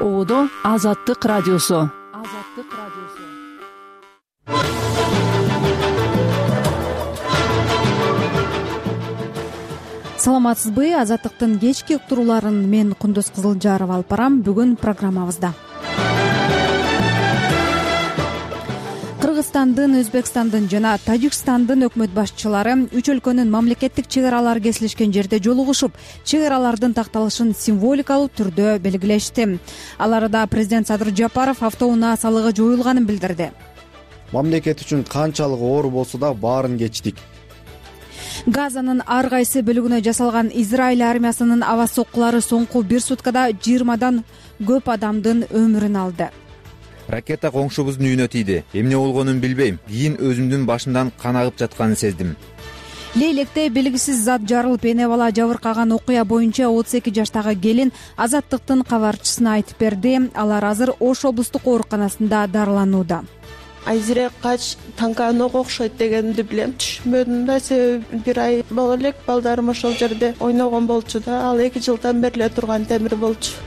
Оодо Азаттык радиосу. Саламатсызбы? Азаттыктын кечки уктурууларын мен Кундуз Кызылжарова алып барам. Бүгүн программабызда Кыргызстандын, Өзбекстандын жана Тажикстандын өкмөт башчылары үч өлкөнүн мамлекеттик чек аралары кесилишкен жерде жолугушуп, чек аралардын такталышын символикалуу түрдө белгилешти. Ал арада президент Садыр Жапаров автоунаа салыгы жоюлганын билдирди. Мамлекет үчүн канчалык оор болсо да баарын кечтик. Газанын ар кайсы бөлүгүнө жасалган Израиль армиясынын аба соккулары соңку 1 суткада 20дан көп адамдын өмүрүн алды. Ракета коңшубуздун үйүнө тийди. Эмне болгонун билбейм. Кийин өзүмдүн башымдан кан агып жатканын сездим. Лейлекте белгисиз зат жарылып, эне бала жабыркаган окуя боюнча 32 жаштагы келин Азаттыктын кабарчысына айтып берди. Алар азыр Ош облустук ооруканасында дарыланууда. Айзире кач танканога окшойт дегенди билем. Түшүнбөдүм да, себеби 1 ай боло элек балдарым ошол жерде ойногон болчу да. Ал 2 жылдан бери эле турган темир болчу.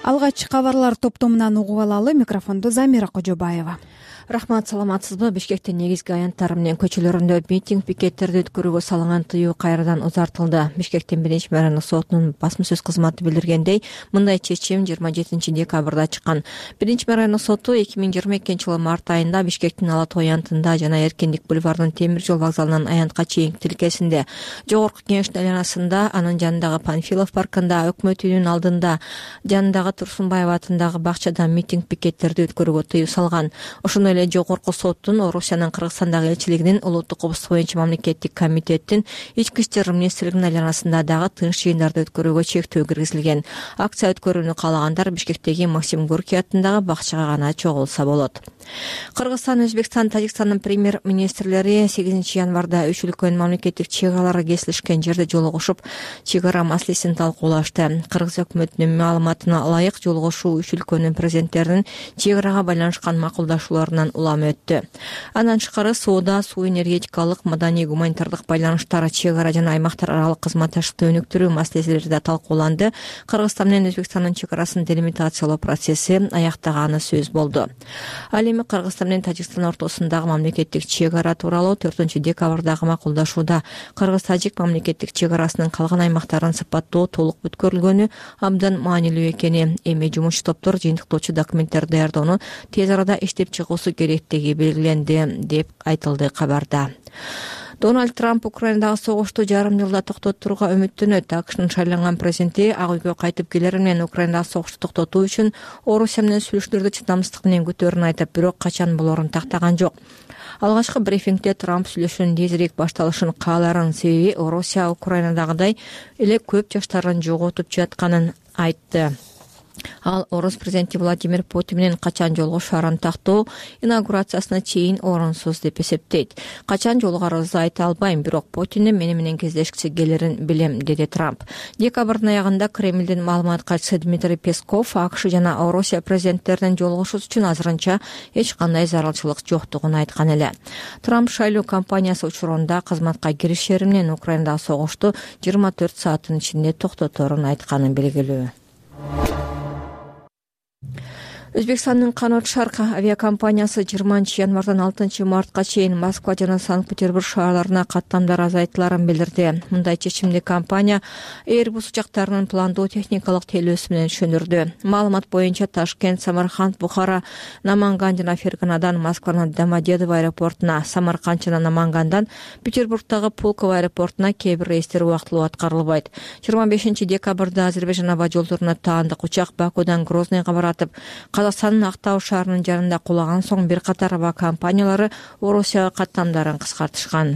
Алгач кабарлар топтомунан угуп алалы. Микрофонду Замира Кожобаева. Рахмат, саламатсызбы? Бишкектин негизги аянттары менен көчөлөрүндө митинг, пикеттерди өткөрүүгө салынган тыюу кайрадан узартылды. Бишкектин биринчи мэринин сотунун басма сөз кызматы билдиргендей, мындай чечим 27 декабрда чыккан. Биринчи мэринин соту 2022-жылы март айында Бишкектин Ала Тоо аянтында жана Эркиндик бульварынын темир жол вокзалынан аянтка чейинки тилкесинде, Жогорку Кеңештин айланасында, анын жанындагы Панфилов паркында, Өкмөт үйүнүнүн алдында, жанындагы Турсунбаев атындагы бакчада митинг, пикеттерди өткөрүүгө тыюу салган. Ошондой эле Жогорку соттун, Орусиянын Кыргызстандагы элчилигинин, улуттук кооздук боюнча мамлекеттик комитеттин, Ички иштер министрлигинин айланасында дагы тынч жыйындарды өткөрүүгө чектөө киргизилген. Акция өткөрүүнү каалагандар Бишкектеги Максим Горький атындагы бакчага гана чогулса болот. Кыргызстан, Өзбекстан, Тажикстандын премьер-министрлери 8 январда үч өлкөнүн мамлекеттик чек аралары кесилишкен жерде жолугушуп, чек ара маселесин талкуулашты. Кыргыз өкмөтүнүн маалыматына ылайык, жолугушуу үч өлкөнүн президенттеринин чек арага байланышкан макулдашууларынан улам өттү. Андан тышкары соода, суу энергетикалык, маданий, гуманитардык байланыштар, чек ара жана аймактар аралык кызматташтыкты өнүктүрүү маселелери да талкууланды. Кыргызстан менен Өзбекстандын чек арасын делимитациялоо процесси аяктаганы сөз болду. Ал эми Кыргызстан менен Тажикстан ортосундагы мамлекеттик чек ара тууралуу 4 декабрдагы макулдашууда Кыргыз-Тажик мамлекеттик чек арасынын калган аймактарын сыпаттоо толук бүткөрүлгөнү абдан маанилүү экени, эми жумушчу топтор жыйынтыктоочу документтерди даярдоону тез арада иштеп чыгуусу керектиги белгиленди, деп айтылды кабарда. Дональд Трамп Украинадагы согушту жарым жылда токтотууга үмүттөнөт. АКШнын шайланган президенти Ак үйгө кайтып келер менен Украинадагы согушту токтотуу үчүн Орусия менен сүйлөшүүлөрдү чыдамсыздык менен күтөөрүн айтып, бирок качан болорун тактаган жок. Алгачкы брифингде Трамп сүйлөшүүнүн тезирээк башталышын кааларын, себеби Орусия Украинадагыдай эле көп жаштарын жоготуп жатканын айтты. Ал Орус президенти Владимир Путин менен качан жолугушаарын тактоо инаугурациясына чейин орунсуз деп эсептейт. Качан жолугарыбызды айта албайм, бирок Путиндин мени кездешкиси келерин билем, деди Трамп. Декабрдын аягында Кремлдин маалымат катчысы Дмитрий Песков АКШ жана Орусия президенттеринин жолугушуусу үчүн азырынча эч кандай зарылчылык жоктугун айткан эле. Трамп шайлоо кампаниясы учурунда кызматка киришери менен Украинадагы согушту 24 сааттын ичинде токтоторун айтканын белгилүү. Өзбекстандын Канат Шарк авиакомпаниясы 20 январдан 6 мартка чейин Москва жана Санкт-Петербург шаарларына каттамдар азайтыларын билдирди. Мындай чечимди компания Airbus учактарынын пландоо техникалык тейлөөсү менен түшүндүрдү. Маалымат боюнча Ташкент, Самарканд, Бухара, Наманган жана Ферганадан Москванын Домодедово аэропортуна, Самарканд жана Намангандан Петербургдагы Пулково аэропортуна кээ бир рейстер убактылуу аткарылбайт. 25 декабрда Азербайжан аба жолдоруна таандык учак Бакудан Грозныйга баратып, Казакстандын Актау шаарынын жанында кулаган соң бир катар аба компаниялары Орусияга каттамдарын кыскартышкан.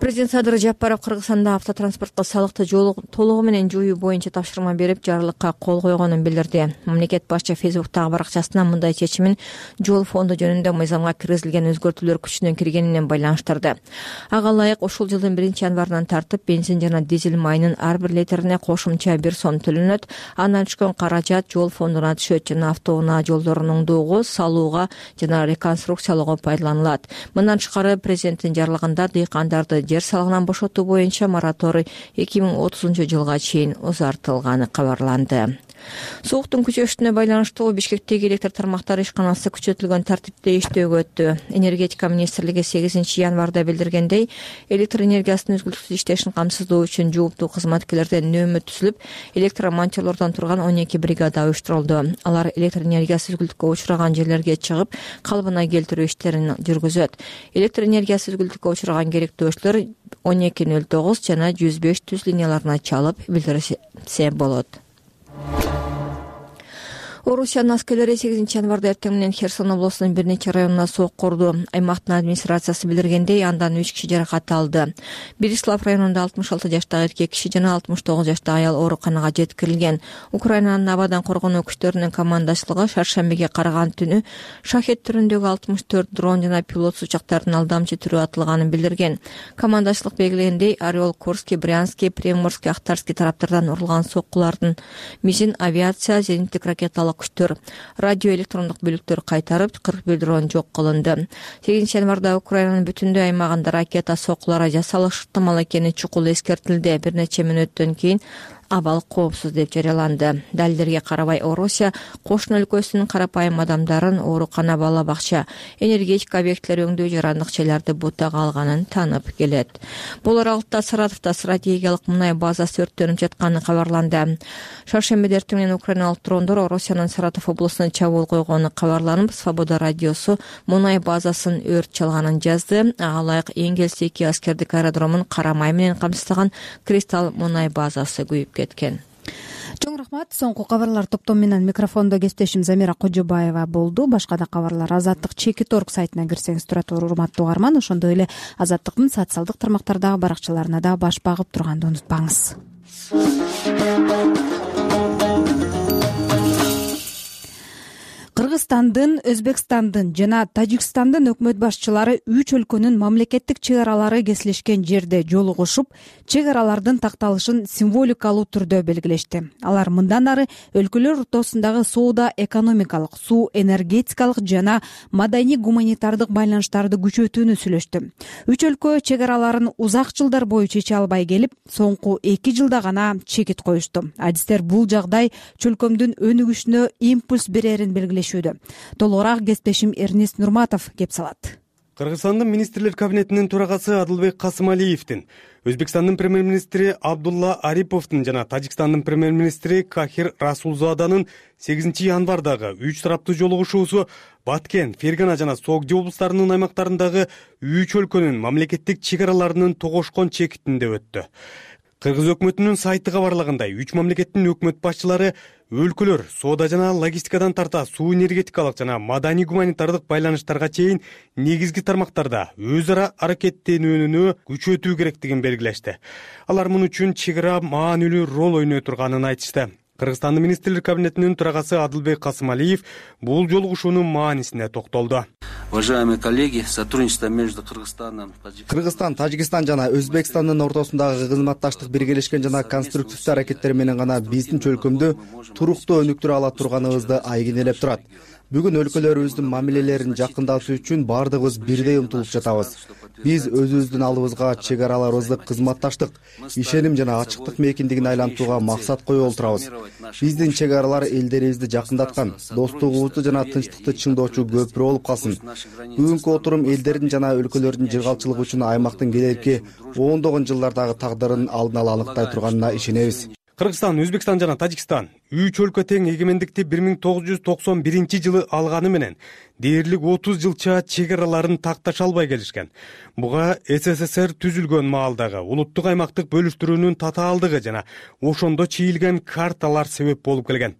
Президент Садыр Жапаров Кыргызстанда автотранспортко салыкты толугу менен жоюу боюнча тапшырма берип, жарлыкка кол койгонун билдирди. Мамлекет башчы Фейсбуктагы баракчасына мындай чечимин жол фонду жөнүндө мыйзамга киргизилген өзгөртүүлөр күчүнө киргени менен байланыштырды. Ага ылайык ошол жылдын 1 январынан тартып бензин жана дизель майынын ар бир литрине кошумча 1 сом төлөнөт. Андан түшкөн каражат жол фондуна түшөт жана автоунаа жолдорун оңдоого, салууга жана реконструкциялоого пайдаланылат. Мындан тышкары президенттин жарлыгында дыйкандарды жер салыгынан бошотуу боюнча мораторий 2030-жылга чейин узартылганы кабарланды. Сууктун күчөшүнө байланыштуу Бишкектеги электр тармактары ишканасы күчөтүлгөн тартипте иштөөгө өттү. Энергетика министрлиги 8 январда билдиргендей, электр энергиясынын үзгүлтүксүз иштешин камсыздоо үчүн жооптуу кызматкерлерден нөөмө түзүлүп, электромонтерлордон турган 12 бригада уюштурулду. Алар электр энергиясы үзгүлтүккө учураган жерлерге чыгып, калыбына келтирүү иштерин жүргүзөт. Электр энергиясы үзгүлтүккө учураган керектөөчүлөр 1209 жана 105 түз линияларына чалып билдирсе болот. Орусиянын аскерлери 8 январда эртең менен Херсон облусунун бир нече районуна сок курду. Аймактын администрациясы билдиргендей, андан 3 киши жаракат алды. Берислав районунда 66 жаштагы эркек киши жана 69 жаштагы аял ооруканага жеткирилген. Украинанын абадан коргонуу күчтөрүнүн командачылыгы шаршембиге караган түнү шахет түрүндөгү 64 дрон жана пилотсуз учактардын алдамчы түрү атылганын билдирген. Командачылык белгилегендей, Орел, Курский, Брянский, Приморский, Ахтарский тараптардан урулган соккулардын мизин авиация, зениттик ракеталык күчтөр, радио электрондук бөлүктөр кайтарып, 41 дрон жок кылынды. 8 январда Украинанын бүтүндөй аймагында ракета соккулары жасалышы ыктымал экени чукул эскертилди. Бир нече мүнөттөн кийин абал коопсуз деп жарыяланды. Далилдерге карабай, Орусия кошуна өлкөсүнүн карапайым адамдарын оорукана, бала бакча, энергетика объектилери өңдөө жана ындыкчаларды бутага алганын таанып келет. Бул аралыкта Саратовдо стратегиялык мунай базасы өрттөнүп жатканы кабарланды. Шаршембиде эртең менен украиналык дрондор Орусиянын Саратов облусуна чабуул койгону кабарланып, Свобода радиосу мунай базасын өрт чалганын жазды. Ага ылайык Энгельс-2 аскердик аэродромун кара май менен камсыздаган Кристалл мунай базасы күйүп кеткен. Чоң рахмат. Соңку кабарлар топтому менен микрофондо кесиптешим Замира Кожобаева болду. Башка да кабарлар Азаттык Чекит.org сайтына кирсеңиз турат, урматтуу угарман. Ошондой эле Азаттыктын социалдык тармактардагы баракчаларына да баш багып турганды унутпаңыз. Кыргызстандын, Өзбекстандын жана Тажикстандын өкмөт башчылары 3 өлкөнүн мамлекеттик чек аралары кесилишкен жерде жолугушуп, чек аралардын такталышын символикалуу түрдө белгилешти. Алар мындан ары өлкөлөр ортосундагы соода, экономикалык, суу, энергетикалык жана маданий-гуманитардык байланыштарды күчөтүүнү сүйлөштү. 3 өлкө чек араларын узак жылдар бою чече албай келип, соңку 2 жылда гана чекит коюшту. Адистер бул жагдай чөлкөмдүн өнүгүшүнө импульс берерин белгилешүүдө. Толугураак кесиптешим Эрнест Нурматов кеп салат. Кыргызстандын министрлер кабинетинин төрагасы Адылбек Касымалиевдин, Өзбекстандын премьер-министри Абдулла Ариповдун жана Тажикстандын премьер-министри Кахир Расулзаданын 8 январдагы 3 тараптуу жолугушуусу Баткен, Фергана жана Согди облустарынын аймактарындагы 3 өлкөнүн мамлекеттик чек араларынын тогошкон чекитинде өттү. Кыргыз өкмөтүнүн сайты кабарлагандай, 3 мамлекеттин өкмөт башчылары өлкөлөр соода жана логистикадан тарта суу, энергетикалык жана маданий-гуманитардык байланыштарга чейин негизги тармактарда өз ара аракеттенүүнү күчөтүү керектигин белгилешти. Алар муну үчүн чек ара маанилүү роль ойной турганын айтышты. Кыргызстандын министрлер кабинетинин төрагасы Адылбек Касымалиев бул жолугушуунун маанисине токтолду. Уважаемые коллеги, сотрудничество между Кыргызстаном, Кыргызстан, Тажикстан жана Өзбекстандын ортосундагы кызматташтык биргелешкен жана конструктивдүү аракеттер менен гана биздин чөлкөмдү туруктуу өнүктүрө ала турганыбызды айгинелеп турат. Бүгүн өлкөлөрүбүздүн мамилелерин жакындатуу үчүн бардыгыбыз бирдей умтулуп жатабыз. Биз өзүбүздүн алдыбызга чек араларыбызды кызматташтык, ишеним жана ачыктык мейкиндигин айлантууга максат коюп отурабыз. Биздин чек аралар элдерибизди жакындаткан, достугубузду жана тынчтыкты чыңдоочу көпүрө болуп калсын. Бүгүнкү отурум элдердин жана өлкөлөрдүн жыргалчылыгы үчүн аймактын келерки ондогон жылдардагы тагдырын алдын ала аныктай турганына ишенебиз. Кыргызстан, Өзбекстан жана Тажикстан 3 өлкө тең эгемендикти 1991-жылы алганы менен дээрлик 30 жылча чек араларын такташа албай келишкен. Буга СССР түзүлгөн маалдагы улуттук аймактык бөлүштүрүүнүн татаалдыгы жана ошондо чийилген карталар себеп болуп келген.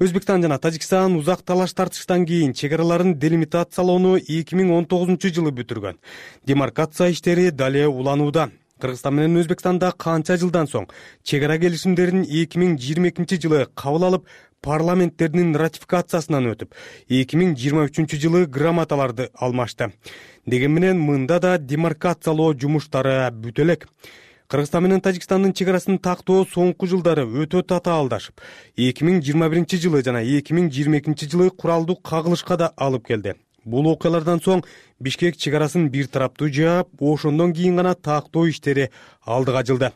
Өзбекстан жана Тажикстан узак талаш тартыштан кийин чек араларын делимитациялоону 2019-жылы бүтүргөн. Демаркация иштери дале уланууда. Кыргызстан менен Өзбекстанда канча жылдан соң чек ара келишимдерин 2022-жылы кабыл алып, парламенттеринин ратификациясынан өтүп, 2023-жылы грамоталарды алмашты. Деген менен мында да демаркациялоо жумуштары бүтө элек. Кыргызстан менен Тажикстандын чек арасын тактоо соңку жылдары өтө татаалдашып, 2021-жылы жана 2022-жылы куралдуу кагылышка да алып келди. Бул окуялардан соң Бишкек чек арасын бир тараптуу жаап, ошондон кийин гана тактоо иштери алдыга жылды.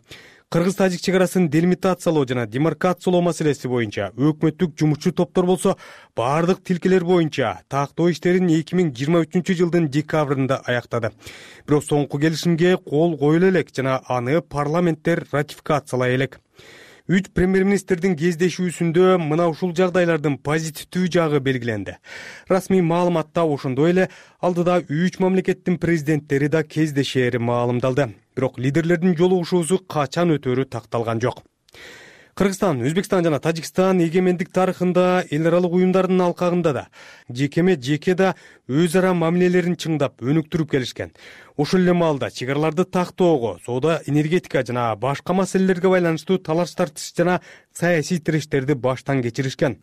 Кыргыз-тажик чек арасын делимитациялоо жана демаркациялоо маселеси боюнча өкмөттүк жумушчу топтор болсо бардык тилкелер боюнча тактоо иштерин 2023-жылдын декабрында аяктады. Бирок соңку келишимге кол коюла элек жана аны парламенттер ратификациялай элек. 3 премьер-министрдин кездешүүсүндө мына ушул жагдайлардын позитивдүү жагы белгиленди. Расмий маалыматта ошондой эле алдыда 3 мамлекеттин президенттери да кездешери маалымдалды. Бирок лидерлердин жолугушуусу качан өтөрү такталган жок. Кыргызстан, Өзбекстан жана Тажикстан эгемендик тарыхында эл аралык уюмдардын алкагында да жекеме жеке да өз ара мамилелерин чыңдап, өнүктүрүп келишкен. Ошол эле маалда чек араларды тактоого, соода, энергетика жана башка маселелерге байланыштуу талаш-тартыш жана саясий тирештерди баштан кечиришкен.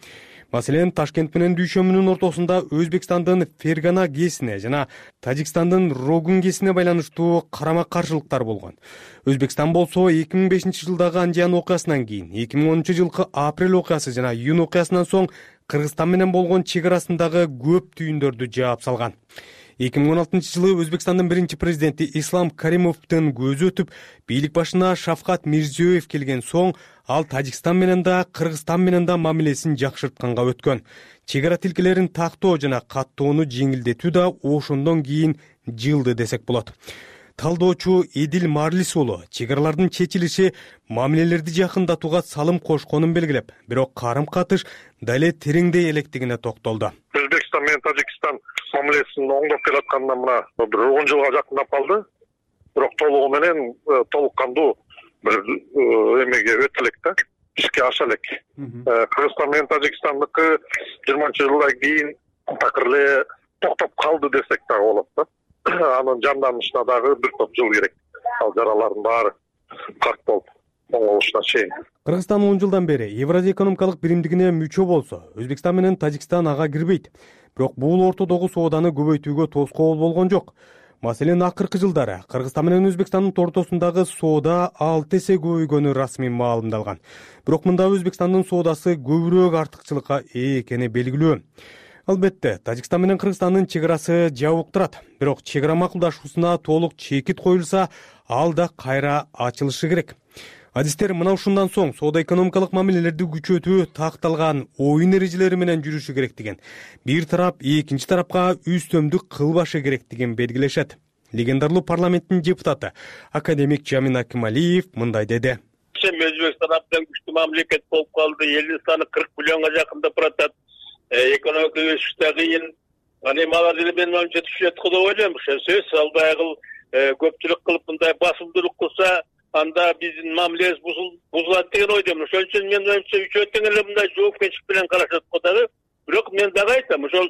Маселен, Ташкент менен Дүйшөмүнүн ортосунда Өзбекстандын Фергана ГЭСине жана Тажикстандын Рогун ГЭСине байланыштуу карама-каршылыктар болгон. Өзбекстан болсо 2005-жылдагы Анжан окуясынан кийин 2010-жылкы апрель окуясы жана июнь окуясынан соң Кыргызстан менен болгон чек арасындагы көп түйүндөрдү жаап салган. 2016-жылы Өзбекстандын биринчи президенти Ислам Каримовдун көзү өтүп, бийлик башына Шавкат Мирзиёев келген соң, ал Тажикстан менен да, Кыргызстан менен да мамилесин жакшыртканга өткөн. Чек ара тилкелерин тактоо жана каттоону жеңилдетүү да ошондон кийин жылды десек болот. Талдоочу Эдил Марлис уулу чек аралардын чечилиши мамилелерди жакындатууга салым кошконун белгилеп, бирок карым-катыш дале тереңдей электигине токтолду. Өзбекстан менен Тажикстан мамилесин оңдоп келатканына мына бир 10 жылга жакындап калды. Бирок толугу менен толук кандуу бир эмеге өтө элек да, ишке аша элек. Кыргызстан менен Тажикстандыкы 20-жылдан кийин такыр эле токтоп калды десек дагы болот да. Анын жанданышына дагы бир топ жыл керек. Ал жаралардын баары карт болуп оңолушуна чейин. Кыргызстан 10 жылдан бери Евразия экономикалык биримдигине мүчө болсо, Өзбекстан менен Тажикстан ага кирбейт. Бирок бул ортодогу сооданы көбөйтүүгө тоскоол болгон жок. Маселен, акыркы жылдары Кыргызстан менен Өзбекстандын ортосундагы соода 6 эсе көбөйгөнү расмий маалымдалган. Бирок мында Өзбекстандын соодасы көбүрөөк артыкчылыкка ээ экени белгилүү. Албетте, Тажикстан менен Кыргызстандын чек арасы жабык турат. Бирок чек ара макулдашуусуна толук чекит коюлса, ал да кайра ачылышы керек. Адистер мына ушундан соң соода-экономикалык мамилелерди күчөтүү такталган оюн эрежелери менен жүрүшү керек деген. Бир тарап экинчи тарапка үстөмдүк кылбашы керектигин белгилешет. Легендарлуу парламенттин депутаты академик Жамин Акималиев мындай деди. Өзбекстан абдан күчтүү мамлекет болуп калды. Элдин саны 40 миллионго жакындап баратат. Экономика өсүш да кыйын. Аны малар деле менин оюмча түшөт деп ойлойм. Ошо сөз албай көпчүлүк кылып мындай басымдуулук кылса, анда биздин мамилебиз бузулат деген ойдомун. Ошон үчүн менин оюмча үчөө тең эле мындай жоопкерчилик менен карашат го дагы. Бирок мен дагы айтам, ошол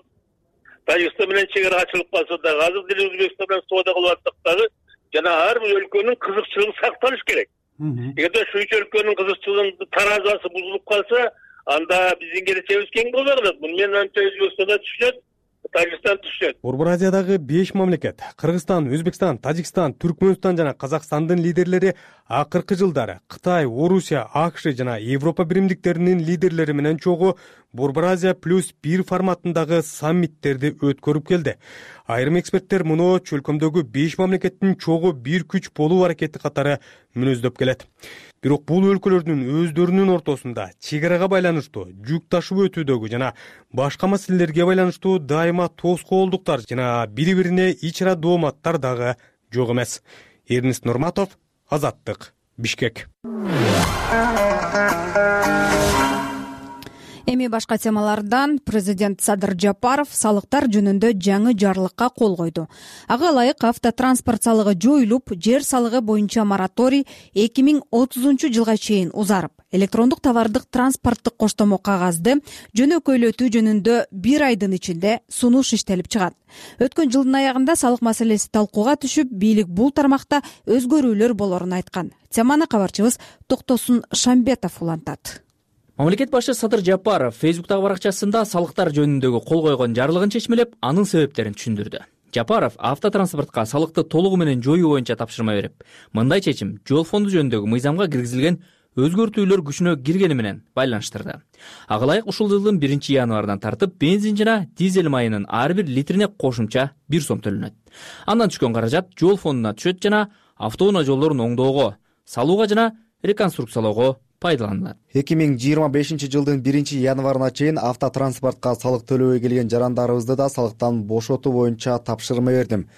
Тажикстан менен чек ара ачылып калса дагы, азыр деле Өзбекстан менен соода кылып атсак дагы, жана ар бир өлкөнүн кызыкчылыгы сакталыш керек. Эгерде ушу 3 өлкөнүн кызыкчылыгынын таразасы бузулуп калса, анда биздин келечегибиз кең болбой калат. Муну менин оюмча Өзбекстан да түшүнөт, Тажикстан түшүнөт. Борбор Азиядагы 5 мамлекет Кыргызстан, Өзбекстан, Тажикстан, Түркмөнстан жана Казакстандын лидерлери акыркы жылдары Кытай, Орусия, АКШ жана Европа биримдиктеринин лидерлери менен чогуу Борбор Азия +1 форматындагы саммиттерди өткөрүп келди. Айрым эксперттер муну чөлкөмдөгү 5 мамлекеттин чогуу бир күч болуу аракети катары мүнөздөп келет. Бирок бул өлкөлөрдүн өздөрүнүн ортосунда чек арага байланыштуу жүк ташып өтүүдөгү жана башка маселелерге байланыштуу дайыма тоскоолдуктар жана бири-бирине ич ара дооматтар дагы жок эмес. Эрнест Нурматов, Азаттык, Бишкек. Эми башка темалардан президент Садыр Жапаров салыктар жөнүндө жаңы жарлыкка кол койду. Ага ылайык автотранспорт салыгы жоюлуп, жер салыгы боюнча мораторий 2030-жылга чейин узарып, электрондук товардык транспорттук коштомо кагазды жөнөкөйлөтүү жөнүндө 1 айдын ичинде сунуш иштелип чыгат. Өткөн жылдын аягында салык маселеси талкууга түшүп, бийлик бул тармакта өзгөрүүлөр болорун айткан. Теманы кабарчыбыз Токтосун Шамбетов улантат. Мамлекет башы Садыр Жапаров Фейсбуктагы баракчасында салыктар жөнүндөгү кол койгон жарлыгын чечмелеп, анын себептерин түшүндүрдү. Жапаров автотранспортко салыкты толугу менен жоюу боюнча тапшырма берип, мындай чечим жол фонду жөнүндөгү мыйзамга киргизилген өзгөртүүлөр күчүнө киргени менен байланыштырды. Ага ылайык ушул жылдын 1-январынан тартып бензин жана дизель майынын ар бир литрине кошумча 1 сом төлөнөт. Андан түшкөн каражат жол фондуна түшөт жана автоунаа жолдорун оңдоого, салууга жана реконструкциялоого пайдаланылат. 2025 жылдын 1-январына чейин автотранспортко салык төлөбөй келген жарандарыбызды да салыктан бошотуу боюнча тапшырма бердим.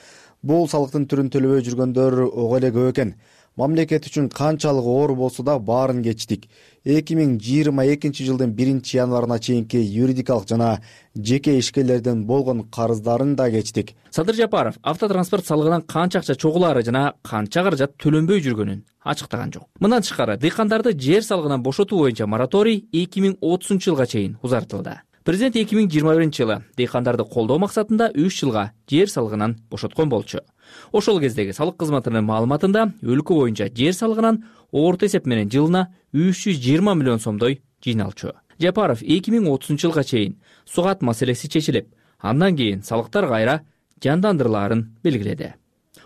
Бул салыктын түрүн төлөбөй жүргөндөр ого эле көп экен. Мамлекет үчүн канчалык оор болсо да баарын кечтик. 2022 жылдын 1-январына чейинки юридикалык жана жеке ишкерлердин болгон карыздарын да кечтик. Садыр Жапаров автотранспорт салыгынан канча акча чогулаары жана канча каражат төлөнбөй жүргөнүн ачыктаган жок. Мындан тышкары дыйкандарды жер салыгынан бошотуу боюнча мораторий 2030 жылга чейин узартылды. Президент 2021 жылы дыйкандарды колдоо максатында 3 жылга жер салыгынан бошоткон болчу. Ошол кездеги салык кызматынын маалыматында өлкө боюнча жер салыгынан орто эсеп менен жылына 320 миллион сомдой жыйналчу. Жапаров 2030 жылга чейин сугат маселеси чечилип, андан кийин салыктар кайра жандандырылаарын белгиледи.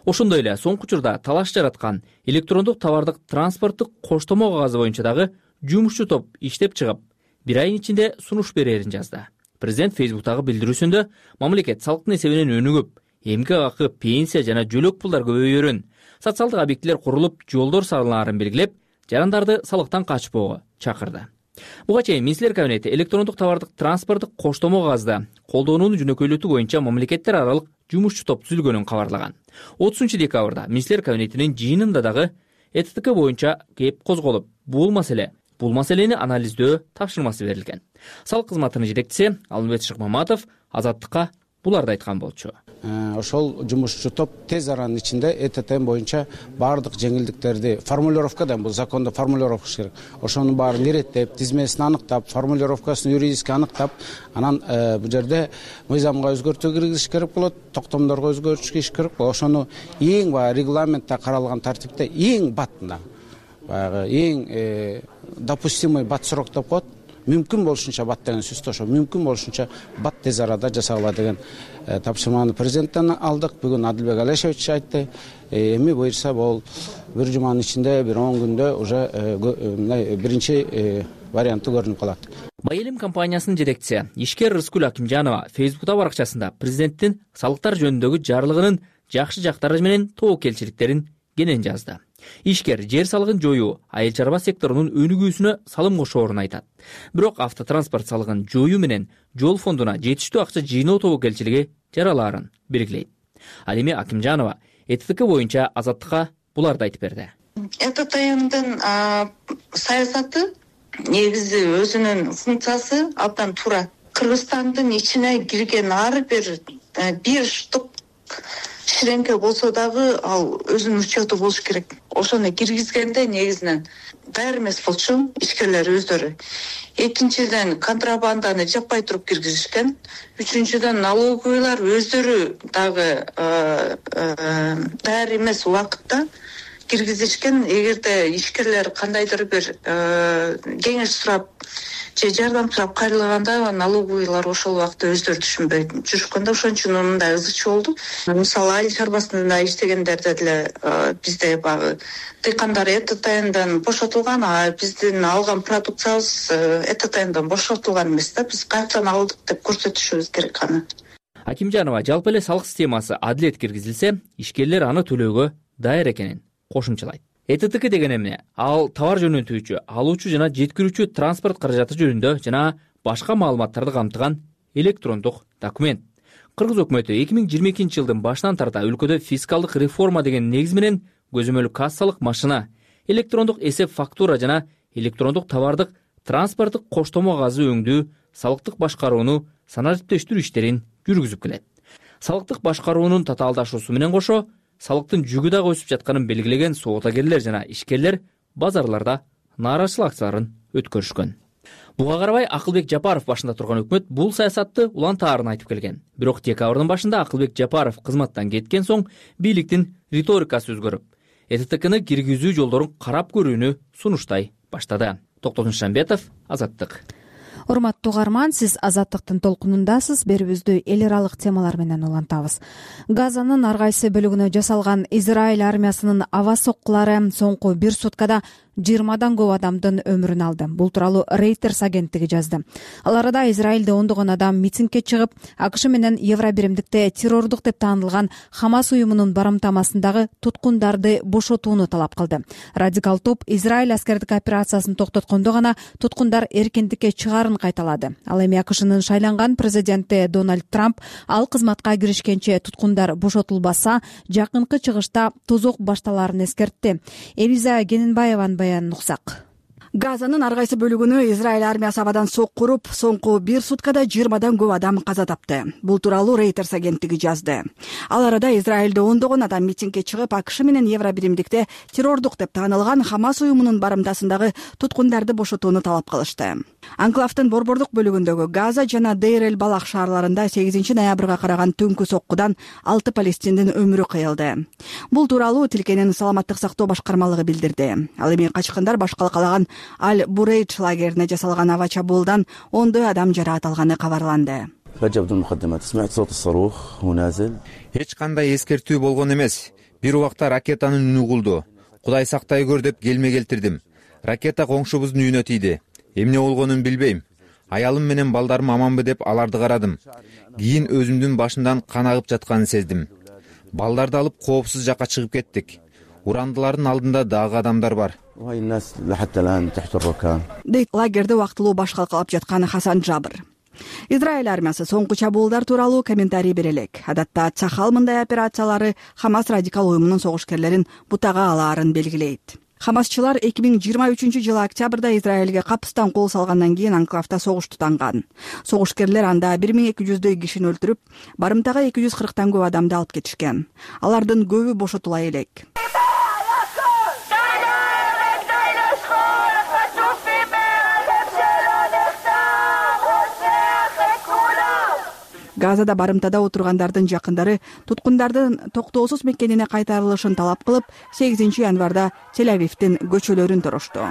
Ошондой эле соңку учурда талаш жараткан электрондук товардык транспорттук коштомо кагазы боюнча дагы жумушчу топ иштеп чыгып, 1 айдын ичинде сунуш берерин жазды. Президент Фейсбуктагы билдирүүсүндө мамлекет салыктын эсебинен өнүгүп, эмгек акы, пенсия жана жөлөк пулдар көбөйөрүн, социалдык объектилер курулуп, жолдор салынаарын белгилеп, жарандарды салыктан качпоого чакырды. Буга чейин Министрлер кабинети электрондук товардык транспорттук коштомо кагазды колдонууну жөнөкөйлөтүү боюнча мамлекеттер аралык жумушчу топ түзүлгөнүн кабарлаган. 30-декабрда Министрлер кабинетинин жыйынында дагы ЭТТК боюнча кеп козголуп, бул маселени анализдөө тапшырмасы берилген. Салык кызматынын жетекчиси Алмамбет Шыкмаматов Азаттыкка буларды айткан болчу. Ошол жумушчу топ тез аранын ичинде ЭТТ боюнча баардык жеңилдиктерди формулировкадан, бул закондо формулировка керек. Ошонун баарын иреттеп, тизмесин аныктап, формулировкасын юридически аныктап, анан бул жерде мыйзамга өзгөртүү киргизиш керек болот, токтомдорго өзгөртүш керек болот. Ошону эң регламентте каралган тартипте эң баттында, эң допустимый бат срок деп коет. Мүмкүн болушунча бат деген сөздү ошо мүмкүн болушунча бат тез арада жасагыла деген тапшырманы президенттен алдык. Бүгүн Адилбек Алешевич айтты. Эми буюрса бул бир жуманын ичинде, бир 10 күндө уже биринчи варианты көрүнүп калат. Байэлим компаниясынын жетекчиси Ишкер Рыскүл Акимжанова Фейсбукта баракчасында президенттин салыктар жөнүндөгү жарлыгынын жакшы жактары менен тобокелчиликтерин кенен жазды. Ишкер жер салыгын жоюу айыл чарба секторунун өнүгүүсүнө салым кошоорун айтат. Бирок автотранспорт салыгын жоюу менен жол фондуна жетиштүү акча жыйноо тобокелчилиги жаралаарын белгилейт. Ал эми Акимжанова ЭТТК боюнча Азаттыкка буларды айтып берди. ЭТТНдин саясаты негизи өзүнүн функциясы абдан туура. Кыргызстандын ичине кирген ар бир штук ширеңке болсо дагы ал өзүнүн учету болуш керек. Ошону киргизгенде негизинен баары эмес болчу ишкерлер өздөрү. Экинчиден контрабанданы жаппай туруп киргизишкен. Үчүнчүдөн налоговыйлар өздөрү дагы баары эмес убакытта киргизишкен. Эгерде ишкерлер кандайдыр бир кеңеш сурап же жардам сурап кайрылганда налоговыйлар ошол убакта өздөрү түшүнбөй жүрүшкөн да, ошон үчүн мындай ызычуу болду. Мисалы айыл чарбасында иштегендерде деле бизде багы дыйкандар ЭТТНден бошотулган, а биздин алган продукциябыз ЭТТНден бошотулган эмес да, биз каяктан алдык деп көрсөтүшүбүз керек аны. Акимжанова жалпы эле салык системасы адилет киргизилсе, ишкерлер аны төлөөгө даяр экенин кошумчалайт. ЭТТК деген эмне? Ал товар жөнөтүүчү, алуучу жана жеткирүүчү транспорт каражаты жөнүндө жана башка маалыматтарды камтыган электрондук документ. Кыргыз өкмөтү 2022 жылдын башынан тарта өлкөдө фискалдык реформа деген негиз менен көзөмөл кассалык машина, электрондук эсеп фактура жана электрондук товардык транспорттук коштомо кагазы өңдүү, салыктык башкарууну санариптештирүү иштерин жүргүзүп келет. Салыктык башкаруунун татаалдашуусу менен кошо салыктын жүгү дагы өсүп жатканын белгилеген соотагерлер жана ишкерлер базарларда нааразычылык акцияларын өткөрүшкөн. Буга карабай Акылбек Жапаров башында турган өкмөт бул саясатты улантаарын айтып келген. Бирок декабрдын башында Акылбек Жапаров кызматтан кеткен соң бийликтин риторикасы өзгөрүп, ЭТТКны киргизүү жолдорун карап көрүүнү сунуштай баштады. Токтогул Шамбетов, Азаттык. Урматтуу угарман, сиз Азаттыктын толкунундасыз. Берүүбүздү эл аралык темалар менен улантабыз. Газанын ар кайсы бөлүгүнө жасалган Израиль армиясынын аба соккулары соңку 1 суткада 20 көп адамдын өмүрүн алды. Бул тууралуу Reuters агенттиги жазды. Ал арада Израилде ондогон адам митингге чыгып, АКШ менен Евробиримдикте террордук деп таанылган Хамас уюмунун барымтамасындагы туткундарды бошотууну талап кылды. Радикал топ Израиль аскердик операциясын токтоткондо гана туткундар эркиндикке чыгаарын кайталады. Ал эми АКШнын шайланган президенти Дональд Трамп ал кызматка киришкенче туткундар бошотулбаса, жакынкы чыгышта тозок башталаарын эскертти. Элиза Гененбаеванын баянын уксак. Газанын ар кайсы бөлүгүнө Израиль армиясы абадан сокку уруп, соңку 1 суткада 20 көп адам каза тапты. Бул тууралуу Reuters агенттиги жазды. Ал арада Израилде ондогон адам митингге чыгып, АКШ менен Евробиримдикте террордук деп таанылган Хамас уюмунун барымтасындагы туткундарды бошотууну талап кылышты. Анклавдын борбордук бөлүгүндөгү Газа жана Дейр-эль-Балах шаарларында 8 ноябрга караган түнкү соккудан 6 палестиндин өмүрү кыйылды. Бул тууралуу тилкенин саламаттык сактоо башкармалыгы билдирди. Ал эми качкындар баш калкалаган Аль-Бурейдж лагерине жасалган аба чабуулдан ондой адам жараат алганы кабарланды. Эч кандай эскертүү болгон эмес. Бир убакта ракетанын үнү угулду. Кудай сактай көр деп келме келтирдим. Ракета коңшубуздун үйүнө тийди. Эмне болгонун билбейм. Аялым менен балдарым аманбы деп аларды карадым. Кийин өзүмдүн башымдан кан агып жатканын сездим. Балдарды алып коопсуз жакка чыгып кеттик. Урандылардын алдында дагы адамдар бар. Дейт лагерде убактылуу баш калкалап жаткан Хасан Жабыр. Израиль армиясы соңку чабуулдар тууралуу комментарий бере элек. Адатта Цахал мындай операциялары Хамас радикал уюмунун согушкерлерин бутага алаарын белгилейт. Хамасчылар 2023-жылы октябрда Израилге капыстан кол салгандан кийин анклавда согуш тутанган. Согушкерлер анда 1200 кишини өлтүрүп, барымтага 240 көп адамды алып кетишкен. Алардын көбү бошотула элек. Газада барымтада отургандардын жакындары туткундардын токтоосуз мекенине кайтарылышын талап кылып, 8 январда Тель-Авивдин көчөлөрүн торошту.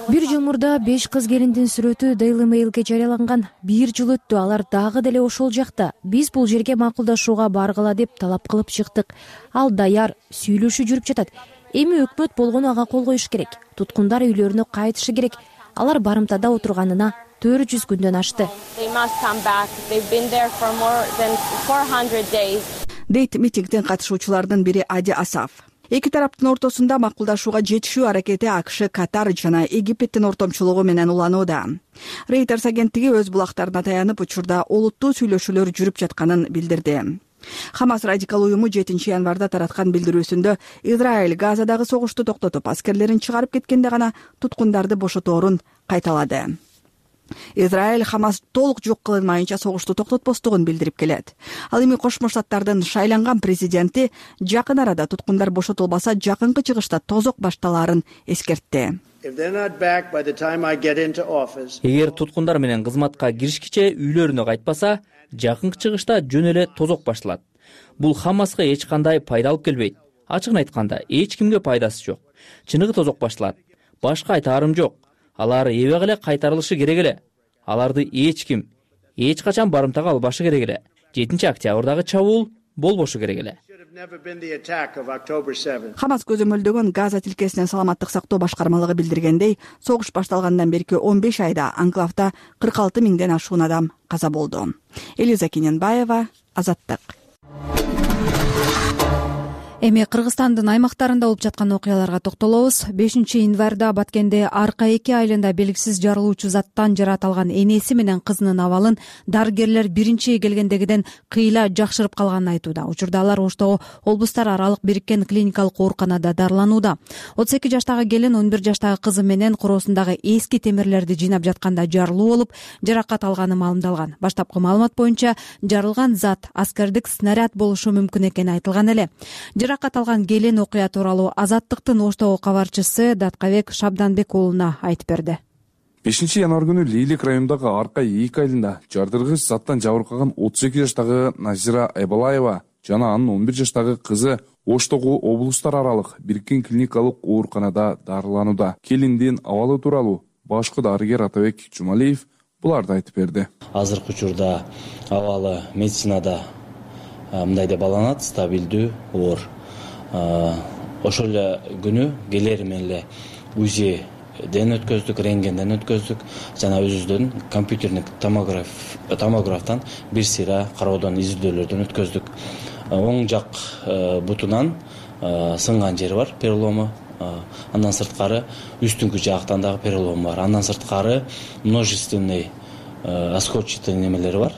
Бир жыл мурда 5 кыз келиндин сүрөтү Daily Mail'ге жарыяланган. 1 жыл өттү, алар дагы деле ошол жакта. Биз бул жерге макулдашууга баргыла деп талап кылып чыктык. Ал даяр, сүйлөшүү жүрүп жатат. Эми өкмөт болгону ага кол коюш керек. Туткундар үйлөрүнө кайтышы керек. Алар барымтада отурганына 400 күндөн ашты. Дейт митингдин катышуучулардын бири Ади Асаф. Эки тараптын ортосунда макулдашууга жетишүү аракети АКШ, Катар жана Египеттин ортомчулугу менен уланууда. Reuters агенттиги өз булактарына таянып учурда олуттуу сүйлөшүүлөр жүрүп жатканын билдирди. Хамас радикал уюму 7 январда тараткан билдирүүсүндө Израиль Газадагы согушту токтотуп, аскерлерин чыгарып кеткенде гана туткундарды бошоторун кайталады. Израиль Хамас толук жок кылынмайынча согушту токтотпостугун билдирип келет. Ал эми Кошмо Штаттардын шайланган президенти жакын арада туткундар бошотулбаса, жакынкы чыгышта тозок башталаарын эскертти. Эгер туткундар менен кызматка киришкиче үйлөрүнө кайтпаса, жакынкы чыгышта жөн эле тозок башталат. Бул Хамаска эч кандай пайда алып келбейт. Ачыгын айтканда, эч кимге пайдасы жок. Чыныгы тозок башталат. Башка айтаарым жок. Алар эбек эле кайтарылышы керек эле. Аларды эч ким, эч качан барымтага албашы керек эле. 7 октябрдагы чабуул болбошу керек эле. Хамас көзөмөлдөгөн Газа тилкесинин саламаттык сактоо башкармалыгы билдиргендей, согуш башталгандан берки 15 айда анклавда 46 миңден ашуун адам каза болду. Элиза Гененбаева, Азаттык. Эми Кыргызстандын аймактарында болуп жаткан окуяларга токтолобуз. 5 январда Баткенде Арка 2 айылында белгисиз жарылуучу заттан жаратылган энеси менен кызынын абалын дарыгерлер биринчи келгендегиден кыйла жакшырып калганын айтууда. Учурда алар Оштогу облустар аралык бириккен клиникалык ооруканада дарыланууда. 32 жаштагы келин 11 жаштагы кызы менен короосундагы эски темирлерди жыйнап жатканда жарылуу болуп, жаракат алганы маалымдалган. Баштапкы маалымат боюнча жарылган зат аскердик снаряд болушу мүмкүн экени айтылган эле. Жаракат алган келин окуя тууралуу Азаттыктын Оштогу кабарчысы Даткабек Шабданбек уулуна айтып берди. 5 январ күнү Лейлик районундагы Арка 2 айылында жардыргыч заттан жабыркаган 32 жаштагы Назира Айбалаева жана анын 11 жаштагы кызы Оштогу облустар аралык бириккен клиникалык ооруканада дарыланууда. Келиндин абалы тууралуу башкы дарыгер Атабек Жумалиев буларды айтып берди. Азыркы учурда абалы медицинада мындай деп алынат, стабилдүү оор. ошол эле күнү келери менен эле УЗИден өткөздүк, рентгенден өткөздүк жана өзүбүздөн компьютердик томографтан бир сыйра кароодон изилдөөлөрдөн өткөздүк. Оң жак бутунан сынган жери бар, перелому. Андан сырткары үстүңкү жактан дагы перелом бар. Андан сырткары множественный осколчатый немелери бар,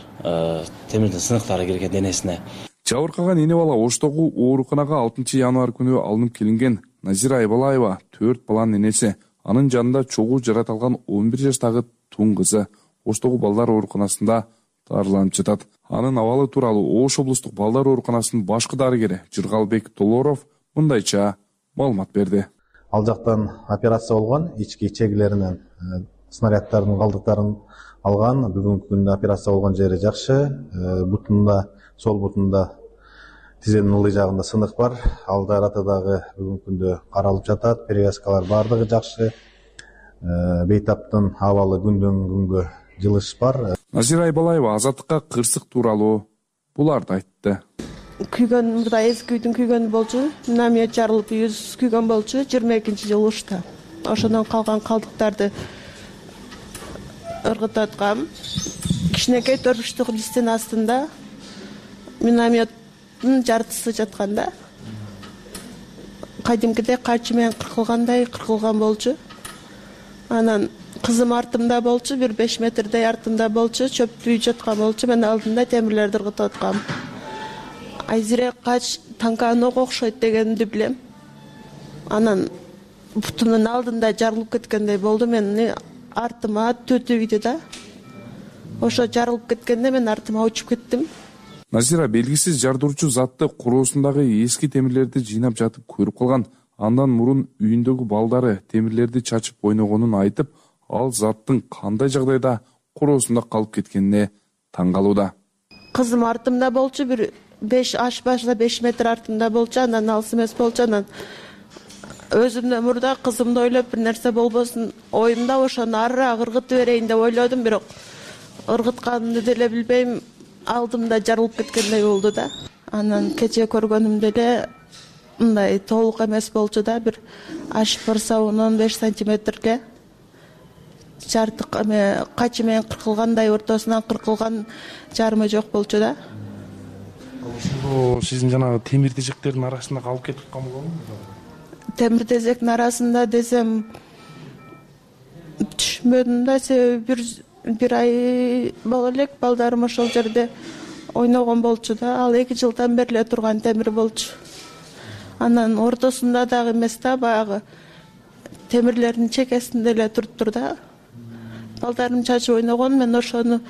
темирдин сыныктары кирген денесине. Жабыркаган эне бала Оштогу ооруканага 6 январь күнү алынып келинген. Назира Айбалаева 4 баланын энеси. Анын жанында чогуу жаратылган 11 жаштагы тун кызы Оштогу балдар ооруканасында дарыланып жатат. Анын абалы тууралуу Ош облустук балдар ооруканасынын башкы дарыгери Жыргалбек Толоров мындайча маалымат берди. Ал жактан операция болгон, ички чегилеринен снаряддардын калдыктарын алган. Бүгүнкү күндө операция болгон жери жакшы. Бутунда, сол бутунда тизенин ылдый жагында сынык бар. Ал жараты дагы бүгүнкү күндө каралып жатат. Перевязкалар баардыгы жакшы. Бейтаптын абалы күндөн күнгө жылыш бар. Назира Айбалаева Азаттыкка кырсык тууралуу буларды айтты. Күйгөн мурда эски үйдүн күйгөнү болчу. Минамет жарылып үйүбүз күйгөн болчу 22-жылы ушта. Ошондон калган калдыктарды ыргытаткам. Кичинекей төрбүштүк листтин астында минаметтин жартысы жатканда кадимкидей качы менен кыркылган болчу. Анан кызым артымда болчу, бир 5 метрдей артымда болчу, чөптүү жаткан болчу. Мен алдында темирлерди ыргытаткам. Айзире кач танканога окшойт дегенди билем. Анан бутунун алдында жарылып кеткендей болду. Мен артыма төтөйдү да. Ошо жарылып кеткенде мен артыма учуп кеттим. Назира белгисиз жардыруучу затты куроосундагы эски темирлерди жыйнап жатып көрүп калган. Андан мурун үйүндөгү балдары темирлерди чачып ойногонун айтып, ал заттын кандай жагдайда куроосунда калып кеткенине таң калууда. Кызым артымда болчу, бир 5 метр артымда болчу, андан алыс эмес болчу. Анан өзүмдөн мурда кызымды ойлоп бир нерсе болбосун оюмда ошону арыраак ыргытып берейин деп ойлодум, бирок ыргытканымды деле билбейм, алдымда жарылып кеткендей болду да. Анан кече көргөнүмдө эле мындай толук эмес болчу да, бир H1 15 сантиметрге жартык качы менен кыркылгандай, ортосунан кыркылган жарымы жок болчу да. Ошондо сиздин жанагы темир тезектердин арасында калып кетип калган. Темир тезектин арасында десем түшүнбөдүм да, себеби бир ай боло элек балдарым ошол жерде ойногон болчу да. Ал 2 жылдан бери эле турган темир болчу. Анан ортосунда дагы эмес да, баягы темирлердин чекесинде эле туруптур да. Балдарым чачып ойногон, мен ошону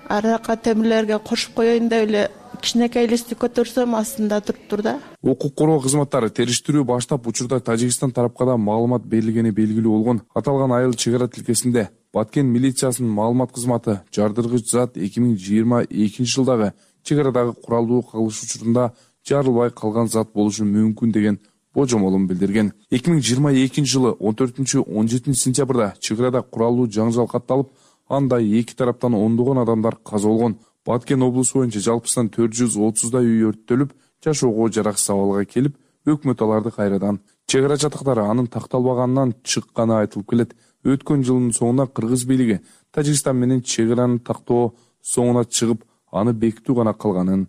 аракка темирлерге кошуп коеюн деп эле кичинекей листти көтөрсөм, астында туруптур да. Укук коргоо кызматтары териштирүү баштап, учурда Тажикстан тарапка да маалымат берилгени белгилүү болгон. Аталган айыл чек ара тилкесинде Баткен милициясынын маалымат кызматы жардыргыч зат 2022-жылдагы чек арадагы куралдуу кагылыш учурунда жарылбай калган зат болушу мүмкүн деген божомолун билдирген. 2022-жылы 14-17 сентябрда чек арада куралдуу жаңжал катталып, анда эки тараптан ондогон адамдар каза болгон. Баткен облусу боюнча жалпысынан 430дай үй өрттөлүп, жашоого жараксыз абалга келип, өкмөт аларды кайрадан чек ара жатактары анын такталбаганынан чыкканы айтылып келет. Өткөн жылдын соңуна кыргыз бийлиги Тажикстан менен чек араны тактоо соңуна чыгып, аны бекитүү гана калганын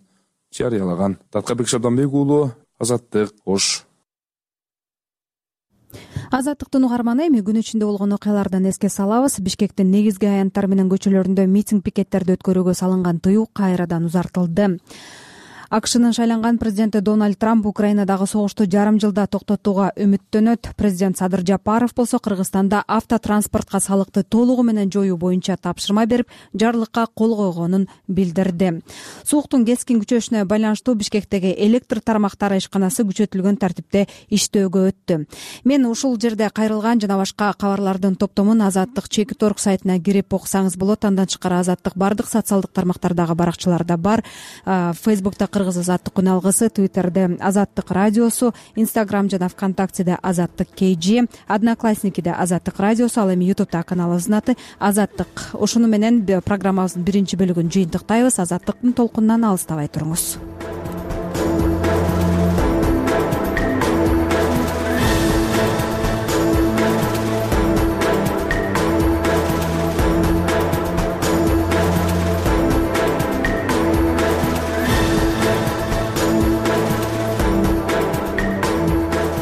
жарыялаган. Таткарбек Шабданбек уулу, Азаттык, Ош. Азаттыктын угарманы, эми күн ичинде болгон окуялардан эске салабыз. Бишкектин негизги аянттары менен көчөлөрүндө митинг пикеттерди өткөрүүгө салынган тыюу кайрадан узартылды. АКШнын шайланган президенти Дональд Трамп Украинадагы согушту жарым жылда токтотууга үмүттөнөт. Президент Садыр Жапаров болсо Кыргызстанда автотранспортко салыкты толугу менен жоюу боюнча тапшырма берип, жарлыкка кол койгонун билдирди. Сууктун кескин күчөшүнө байланыштуу Бишкектеги электр тармактары ишканасы күчөтүлгөн тартипте иштөөгө өттү. Мен ушул жерде кайрылган жана башка кабарлардын топтомун Азаттык Чекит.орг сайтына кирип окусаңыз болот. Андан тышкары Азаттык бардык социалдык тармактардагы баракчаларда бар. Фейсбукта Кыргыз Азаттык күн алгысы, Твиттерде Азаттык радиосу, Инстаграм жана ВКонтактеде Азаттык KG, Одноклассникиде Азаттык радиосу, ал эми Ютубта каналыбыздын аты Азаттык. Ушуну менен программабыздын биринчи бөлүгүн жыйынтыктайбыз. Азаттыктын толкунунан алыстабай туруңуз.